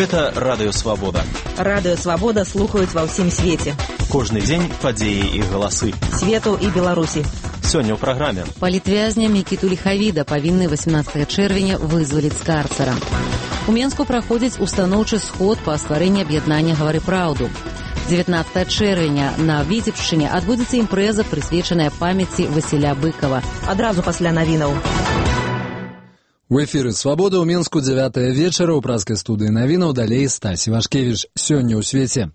Гэта Радыё Свабода. Радыё Свабода слухаюць ва ўсім свеце. Кожны дзень падзеі і галасы Свету і Беларусі. Сёння ў праграме. Палітвязня Мікіту Ліхавіда павінны 18 чэрвеня вызваліць з карцара. У Менску праходзіць устаноўчы сход па стварэнні аб'яднання «Гавары праўду». 19 чэрвеня на Віцебшчыне адбудзецца імпрэза, прысвечаная памяці Васіля Быкова. Адразу пасля навінаў. У эфіры «Свабода» ў Менску 9 вечара ў праскай студыі навінаў, далей Стась Івашкевіч. Сёння ў свеце.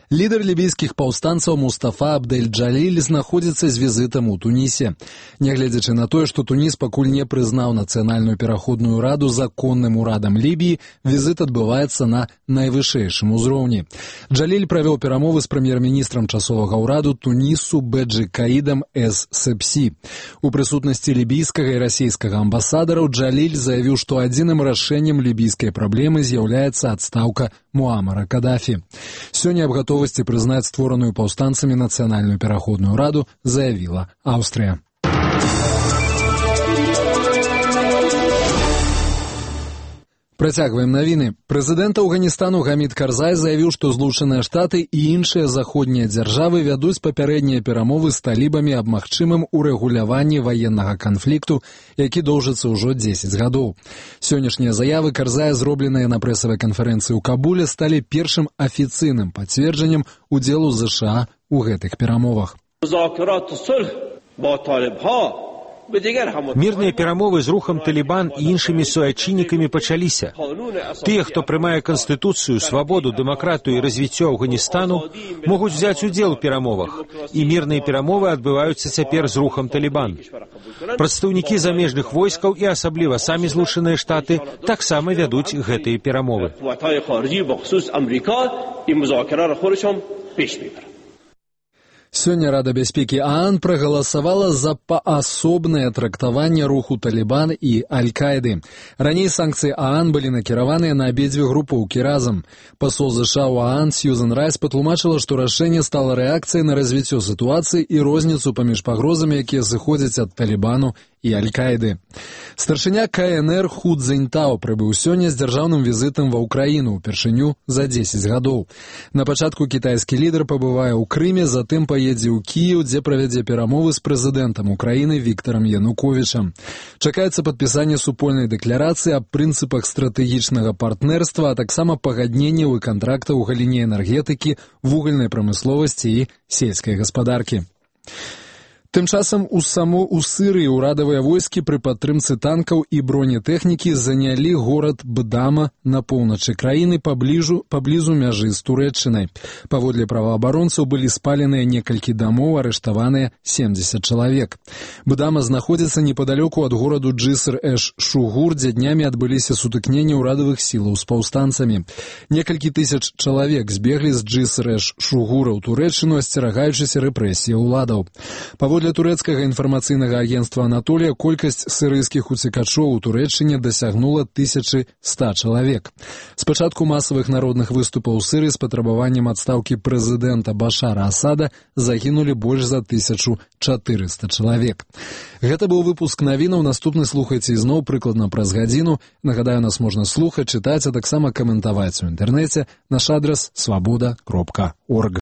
Лідар лібійскіх паўстанцаў Мустафа Абдель-Джаліль знаходзіцца з візітам у Тунісе. Нягледзячы на тое, што Туніс пакуль не прызнаў нацыянальную пераходную раду законным урадам Лібіі, візіт адбываецца на найвышэйшым узроўні. Джаліль правёў перамовы з прэм'ер-міністрам часовага ўраду Тунісу Бэджы Каідам Эс-Сепсі. У прысутнасці лібійскага і расійскага амбасадараў Джаліль заявіў, што адзіным рашэннем лібійскай праблемы з'яўляецца адстаўка Муамара Кадафі. Сёння аб гатовасці прызнаць створаную паўстанцамі нацыянальную пераходную раду заявіла Аўстрыя. Працягваем навіны. Прэзідэнт Афганістану Гамід Карзай заявіў, што Злучаныя Штаты і іншыя заходнія дзяржавы вядуць папярэднія перамовы з талібамі аб магчымым урэгуляванні ваеннага канфлікту, які доўжыцца ўжо 10 гадоў. Сённяшнія заявы Карзая, зробленыя на прэсавай канферэнцыі ў Кабуле, сталі першым афіцыйным пацверджаннем удзелу ЗША ў гэтых перамовах. Мірныя перамовы з рухам Талібан і іншымі суайчыннікамі пачаліся. Тыя, хто прымае канстытуцыю, свабоду, дэмакратыю і развіццё Афганістану, могуць взяць удзел у перамовах, і мірныя перамовы адбываюцца цяпер з рухам Талібан. Прадстаўнікі замежных войскаў і асабліва самі Злучаныя Штаты таксама вядуць гэтыя перамовы. Сёння Рада бяспекі ААН прагаласавала за паасобнае трактаванне руху Талібан і Аль-Каіды. Раней санкцыі ААН былі накіраваныя на абедзве групоўкі разам. Пасол ЗША ў ААН Сьюзан Райс патлумачыла, што рашэнне стала рэакцыяй на развіццё сітуацыі і розніцу паміж пагрозамі, якія зыходзяць ад Талібану і Аль-Каіды. Старшыня КНР Ху Цзіньтао прыбыў сёння з дзяржаўным візітам ва ўкраіну упершыню за 10 гадоў. На пачатку кітайскі лідар пабывае ў Крыме, затым паедзе ў Кіеў, дзе правядзе перамовы з прэзідэнтам Украіны Віктарам Януковічам. Чакаецца падпісанне супольнай дэкларацыі аб прынцыпах стратэгічнага партнерства, а таксама пагадненняў і кантрактаў у галіне энергетыкі, вугальнай прамысловасці і сельскай гаспадаркі. Тым часам у Сырыі ўрадавыя войскі пры падтрымцы танкаў і бронетэхнікі занялі горад Бдама на поўначы краіны паблізу мяжы з Турэччынай. Паводле праваабаронцаў былі спаленыя некалькі дамоў, арыштаваныя 70 чалавек. Бдама знаходзіцца непадалёку ад гораду Джыср-эш-Шугур, дзе днямі адбыліся сутыкненні ўрадавых сілаў з паўстанцамі. Некалькі тысяч чалавек збеглі з Джыср-эш-Шугура ў Турэччыну, асцерагаючыся рэпрэсіі ўладаў. Паводле турэцкага інфармацыйнага агенцтва «Анатолія» колькасць сірыйскіх уцекачоў у Турэччыне дасягнула 1100 чалавек. З пачатку масавых народных выступаў у Сырыі з патрабаваннем адстаўкі прэзідэнта Башара Асада загінулі больш за 1400 чалавек. Гэта быў выпуск навінаў. Наступны слухайце ізноў прыкладна праз гадзіну. Нагадаю, нас можна слухаць, чытаць, а таксама каментаваць у інтэрнэце. Наш адрас свабода.орг.